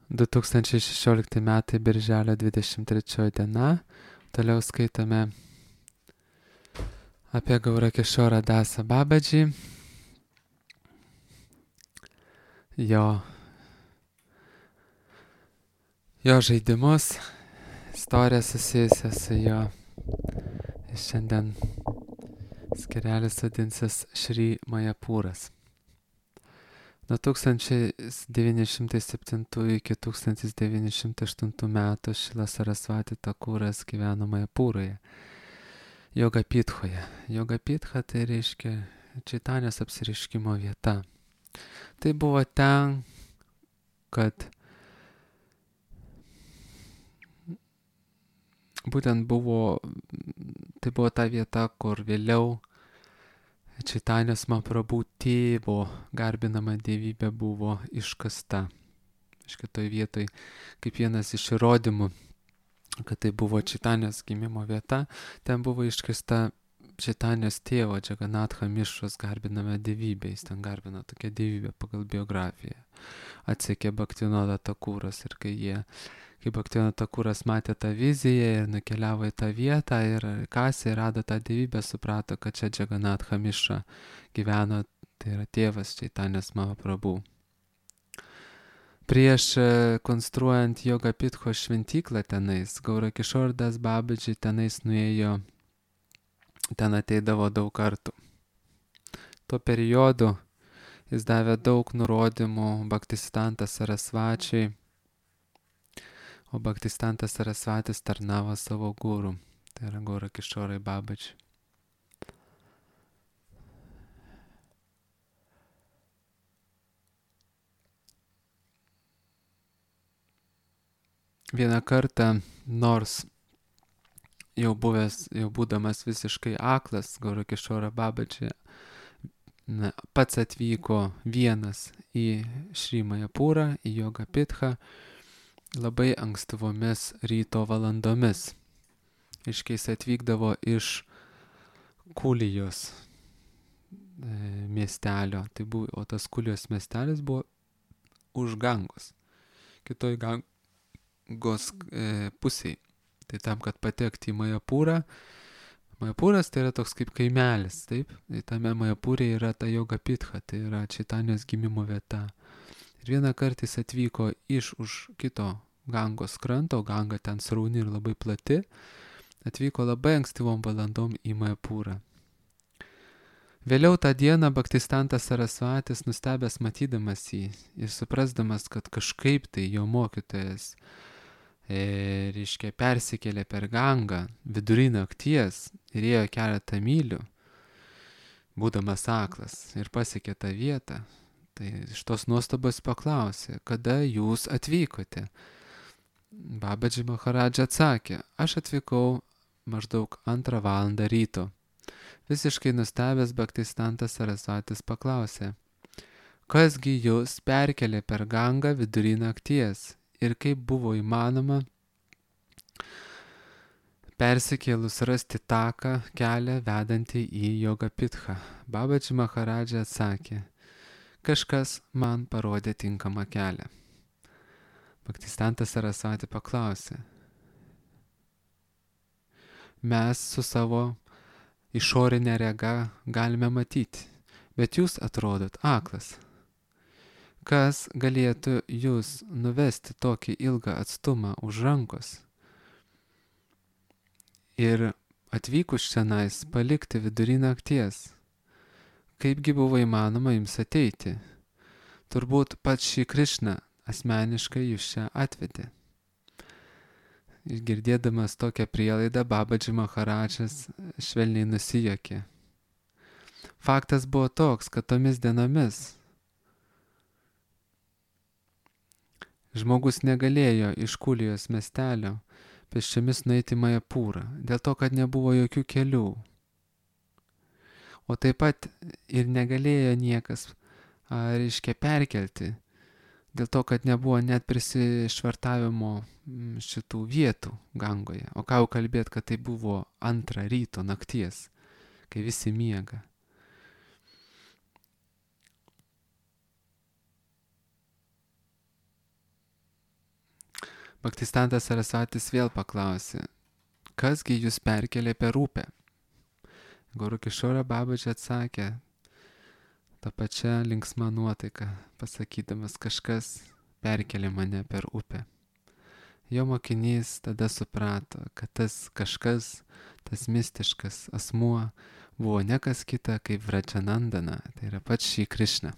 2016 metai, birželio 23 diena. Toliau skaitome apie Gaurakishorą Dasą Babadžį, jo žaidimus, istoriją susijusią su jo. Šiandien skirelis vadinsis Šri Majapūras. Nuo 1907 iki 1908 metų Šrila Sarasvati Thakuras gyveno Majapūroje, Jogapithoje. Jogapitha tai reiškia Čaitanės apsireiškimo vieta. Tai buvo ten, tai buvo ta vieta, kur vėliau Čaitanės Mahaprabhu tėvo garbinama dievybė buvo iškasta. Šitoj vietoj, kaip vienas iš įrodymų, kad tai buvo Čaitanės gimimo vieta, ten buvo iškasta Čaitanės tėvo Džaganatha Mišros garbinama dievybė. Jis ten garbino tokią dievybę pagal biografiją. Atsekė Bhaktivinoda Thakuras ir kai Bhaktivinoda Thakuras matė tą viziją ir nukeliavo į tą vietą ir kasė ir rado tą dievybę, suprato, kad čia Džaganatha Mišra gyveno, tai yra tėvas Čaitanės Mahaprabhu. Prieš konstruojant Jogapitho šventyklą tenais, Gaurakishora Das Babadži tenais nuėjo, ten ateidavo daug kartų. Tuo periodu jis davė daug nurodymų Bhaktisiddhanta Sarasvačiui, o Bhaktisiddhantas Sarasvatis tarnavo savo guru, tai yra Gaurakishorai Babadži. Vieną kartą, nors jau būdamas visiškai aklas, Gaurakishora Babadži pats atvyko vienas į Šri Majapūrą, į Jogapithą, labai ankstyvomis ryto valandomis. Iškiais atvykdavo iš Kulijos miestelio, o tas Kulijos miestelis buvo už Gangos, kitoj Gangos pusėje. Tai tam, kad patekti į Majapūrą, Majapūras tai yra toks kaip kaimelis, taip? Tai tame Majapūrė yra ta Jogapitha, tai yra Čaitanės gimimo vieta. Ir vieną kartą jis atvyko už kito Gangos kranto, Ganga ten srauni ir labai plati, atvyko labai ankstyvom valandom į Majapūrą. Vėliau tą dieną Bhaktisiddhantas Sarasvatis, nustebęs matydamas jį ir suprasdamas, kad kažkaip tai jo mokytojas persikėlė per Gangą vidury nakties ir ėjo keletą mylių, būdamas aklas, ir pasiekė tą vietą. Tai iš tos nuostabos paklausė, kada jūs atvykote? Babadži Maharadža atsakė, aš atvykau maždaug 2 valandą ryto. Visiškai nustebęs Bhaktisiddhantas Sarasvatis paklausė, kasgi jūs perkelė per Gangą vidury nakties ir kaip buvo įmanoma persikėlus rasti taką, kelią vedantį į Jogapithą? Babadži Maharadža atsakė, kažkas man parodė tinkamą kelią. Bhaktisiddhantas Sarasvati paklausė, mes su savo išorinė rega galime matyti, bet jūs atrodot aklas. Kas galėtų jūs nuvesti tokį ilgą atstumą už rankos ir atvykus čionais palikti vidury nakties? Kaipgi buvo įmanoma jums ateiti? Turbūt pats Šri Krišna asmeniškai jūs čia atvedė. Girdėdamas tokią prielaidą, Babadži Maharadžas švelniai nusijuokė. Faktas buvo toks, kad tomis dienomis žmogus negalėjo iš Kulijos miestelio pėsčiomis nueiti į Majapūrą, dėl to, kad nebuvo jokių kelių. O taip pat ir negalėjo niekas, perkelti, dėl to, kad nebuvo net prisišvartavimo šitų vietų Gangoje. O ką jau kalbėt, kad tai buvo 2 ryto nakties, kai visi miega. Bhaktistantas Sarasvatis vėl paklausė, kasgi jūs perkelė per upę? Guru Kishora Babaji atsakė, tą pačią linksmą nuotaiką, pasakydamas, kažkas perkelė mane per upę. Jo mokinys tada suprato, kad tas kažkas, tas mistiškas asmuo buvo ne kas kita kaip Vrajanandana, tai yra pats Šri Krishna.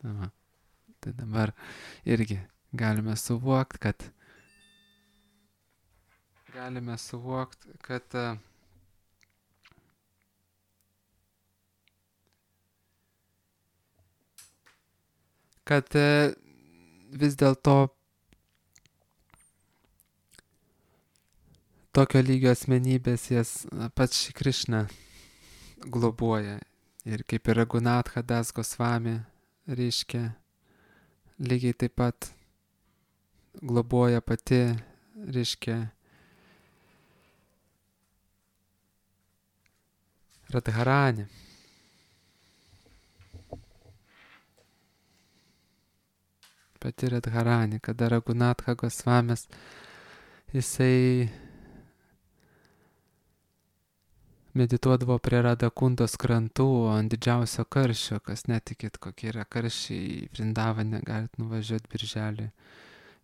Tai dabar irgi galime suvokti, kad vis dėlto tokio lygio asmenybės jas pats Šri Krishna globoja. Ir kaip ir Raghunatha Das Gosvami reiškia, lygiai taip pat globoja pati, reiškia, Radharani. Pati Radharani, kada Raghunatha Gosvamis, jisai medituodavo prie Radhakundos krantų ant didžiausio karščio, kas netikit, kokie yra karščiai Vrindavane, galit nuvažiuoti birželį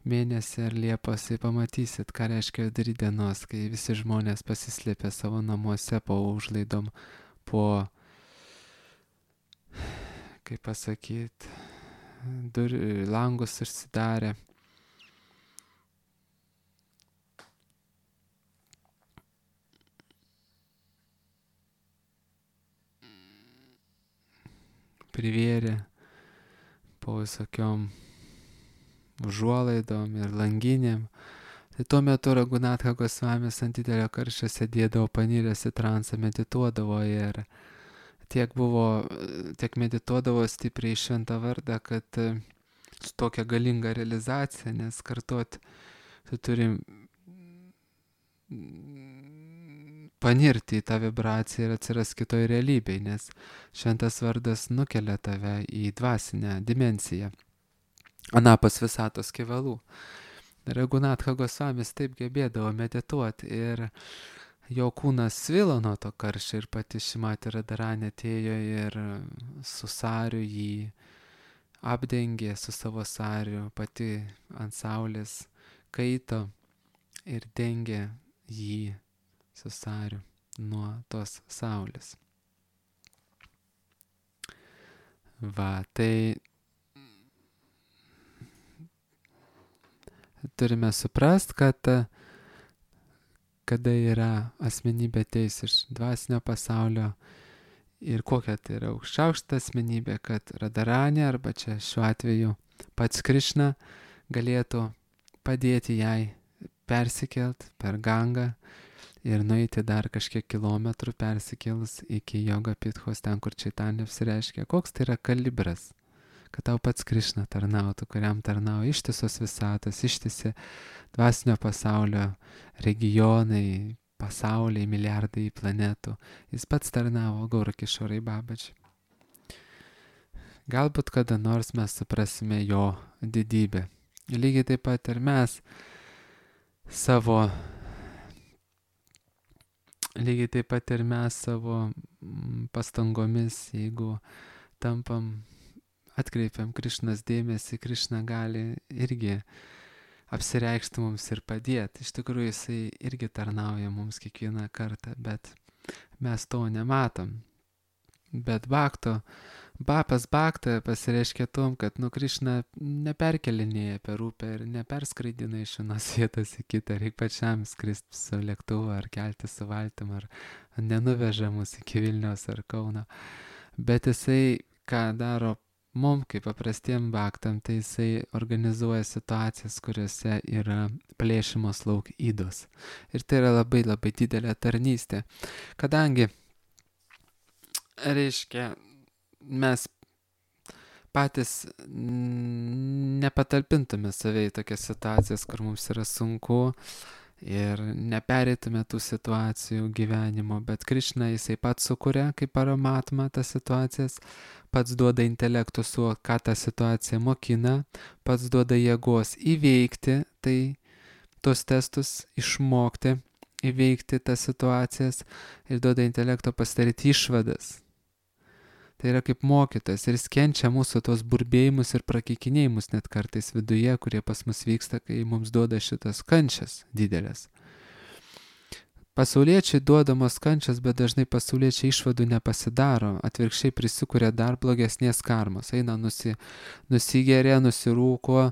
mėnesį ar Liepos, tai pamatysit, ką reiškia vidury dienos, kai visi žmonės pasislėpia savo namuose po užlaidom, po, kaip pasakyt, langus užsidarę. Privėrė po visokiom užuolaidom ir langinėm. Tai tuo metu Raghunatha Gosvamis ant didelio karščio sėdėdavo paniręs į transą, medituodavo ir tiek medituodavo stipriai šventą vardą, kad su tokia galinga realizacija, nes kartuot tu turi panirti į tą vibraciją ir atsiras kitoj realybėj, nes šventas vardas nukelia tave į dvasinę dimensiją, anapus visatos kevalų. Raghunatha Gosvamis taip gebėdavo medituoti ir jo kūnas svilo nuo to karščio ir pati Šrimati Radharani atėjo ir su sariu jį apdengė su savo sariu, pati ant saulės kaito ir dengė jį su sariu nuo tos saulės. Va, tai turime suprast, kad kada yra asmenybė ateis iš dvasinio pasaulio ir kokia tai yra aukščiausia asmenybė, kad Radharani arba čia šiuo atveju pats Krishna galėtų padėti jai persikelt per Gangą ir nueiti dar kažkiek kilometrų persikėlus iki Yoga Pithos, ten kur Čaitanya apsireiškia, koks tai yra kalibras, kad tau pats Krishna tarnautų, kuriam tarnauja ištisos visatos, ištisi dvasinio pasaulio regionai, pasauliai, milijardai planetų. Jis pats tarnavo Guru Kishorai Babaji. Galbūt kada nors mes suprasime jo didybę. Lygiai taip pat ir mes savo pastangomis, jeigu atkreipiam Krišnos dėmesį, Krišna gali irgi apsireikšti mums ir padėti. Iš tikrųjų, jisai irgi tarnauja mums kiekvieną kartą, bet mes to nematom. Bet Bapas Bhakta pasireiškia tom, kad Krišna neperkelinėja per upę ir neperskraidina iš vienos vietos į kitą, reikia pačiam skristi su lėktuvu ar kelti su valtim, ar nenuveža mus iki Vilniaus ar Kauno. Bet jisai, ką daro mum, kaip paprastiem bhaktam, tai jisai organizuoja situacijas, kuriuose yra plėšimos lauk ydos. Ir tai yra labai labai didelė tarnystė. Kadangi, reiškia, mes patys nepatalpintume save į tokias situacijas, kur mums yra sunku ir nepereitume tų situacijų gyvenimo, bet Krišna jisai pats sukuria kaip Paramatma tas situacijas, pats duoda intelektų suvokti, ką ta situacija mokina, pats duoda jėgos įveikti tai tos testus, išmokti, įveikti tas situacijas ir duoda intelekto pasidaryti išvadas. Tai yra kaip mokytojas ir jis kenčia mūsų tos burbėjimus ir prakeikinėjimus net kartais viduje, kurie pas mus vyksta, kai mums duoda šitas kančias didelės. Pasauliečiai duodamos kančias, bet dažnai pasauliečiai išvadų nepasidaro, atvirkščiai prisikuria dar blogesnės karmos, eina nusigeria, nusirūko,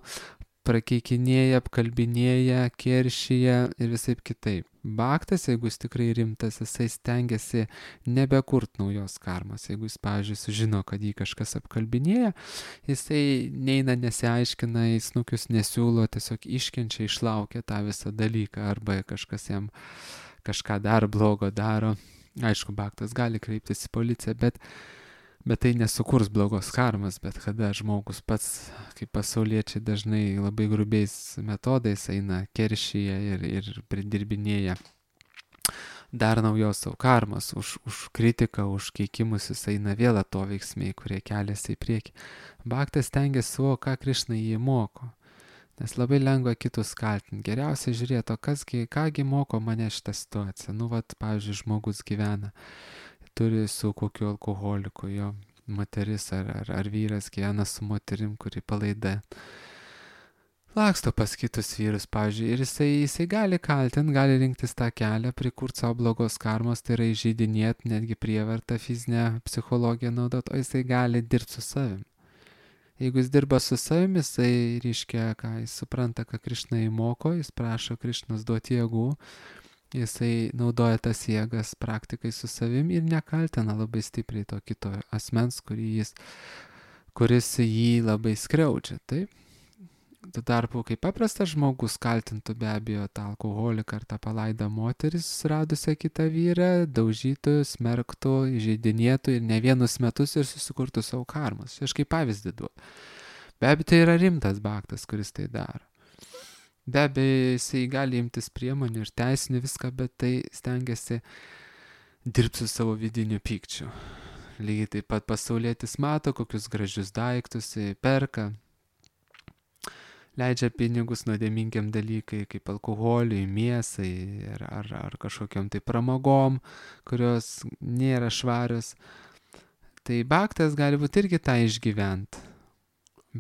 prakeikinėja, apkalbinėja, keršyje ir visaip kitaip. Baktas, jeigu jis tikrai rimtas, jisai stengiasi nebekurt naujos karmos. Jeigu jis, pavyzdžiui, sužino, kad jį kažkas apkalbinėja, jisai neina, nesiaiškina, į snukius nesiūlo, tiesiog iškenčia, išlaukia tą visą dalyką, arba kažkas jam kažką dar blogo daro. Aišku, baktas gali kreiptis į policiją, bet tai nesukurs blogos karmas, bet kada žmogus pats, kaip pasauliečiai dažnai labai grubiais metodais eina, keršyje ir pridirbinėja dar naujos savo karmas, už kritiką, už keikimus jis eina vėl atoveiksmiai, kurie keliasi į priekį. Baktas stengiasi suvokti, ką Krišna jį moko. Nes labai lengva kitus kaltinti. Geriausia žiūrėti, kągi moko mane šitą situaciją. Pavyzdžiui, žmogus gyvena, turi su kokiu alkoholiku, jo moteris ar vyras gyvena su moterim, kuri palaida. Laksto pas kitus vyrus, pavyzdžiui, ir jisai gali kaltinti, gali rinktis tą kelią, prikurti savo blogos karmos, tai yra įžeidinėti, netgi prievartą, fizinę psichologiją naudot, o jisai gali dirbti su savim. Jeigu jis dirba su savimi, jisai reiškia, jis supranta, ką Krišna įmoko, jis prašo Krišnos duoti jėgų, jisai naudoja tas jėgas praktikai su savim ir nekaltina labai stipriai to kito asmens, kuris jį labai skriaudžia. Taip? Tuo tarpu, kaip paprastas žmogus kaltintų be abejo tą alkoholiką ar tą palaidą moteris, radusią kitą vyrą, daužytų, smerktų, įžeidinėtų ir ne vienus metus ir susikurtų savo karmas. Aš kaip pavyzdį duodu. Be abejo, tai yra rimtas baktas, kuris tai daro. Be abejo, jisai gali imtis priemonių ir teisinių viską, bet tai stengiasi dirbti su savo vidiniu pykčiu. Lygiai taip pat pasaulietis mato, kokius gražius daiktus perka, leidžia pinigus nuodėmingiam dalykai, kaip alkoholiui, mėsai ar kažkokiam tai pramogom, kurios nėra švarios. Tai baktas gali būti irgi tą išgyventi,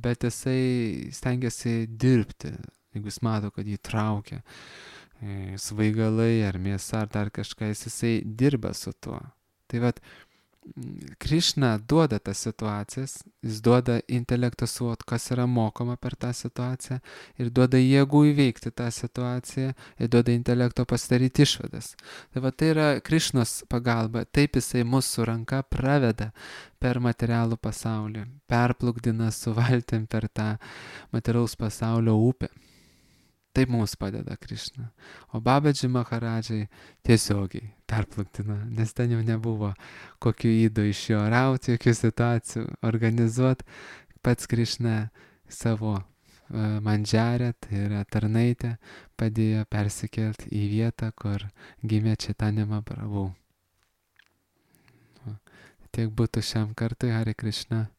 bet jisai stengiasi dirbti, jeigu jis mato, kad jį traukia svaigalai ar mėsa ar dar kažką, jisai dirba su tuo. Tai vat, Krišna duoda tas situacijas, jis duoda intelekto suvokti, kas yra mokoma per tą situaciją ir duoda jėgų įveikti tą situaciją ir duoda intelekto pasidaryti išvadas. Tai va tai yra Krišnos pagalba, taip jisai mūsų ranka praveda per materialų pasaulį, perplukdina su valtim per tą materialaus pasaulio upę. Taip mums padeda Krišna. O Babadži Maharadžai tiesiogiai perplukdino, nes ten jau nebuvo kokių įdų iš jo rauti, jokių situacijų organizuoti. Pats Krišna savo mandžarę, tai yra tarnaitę, padėjo persikelti į vietą, kur gimė Chaitanya Mahaprabhu. Tiek būtų šiam kartui, Hare Krishna.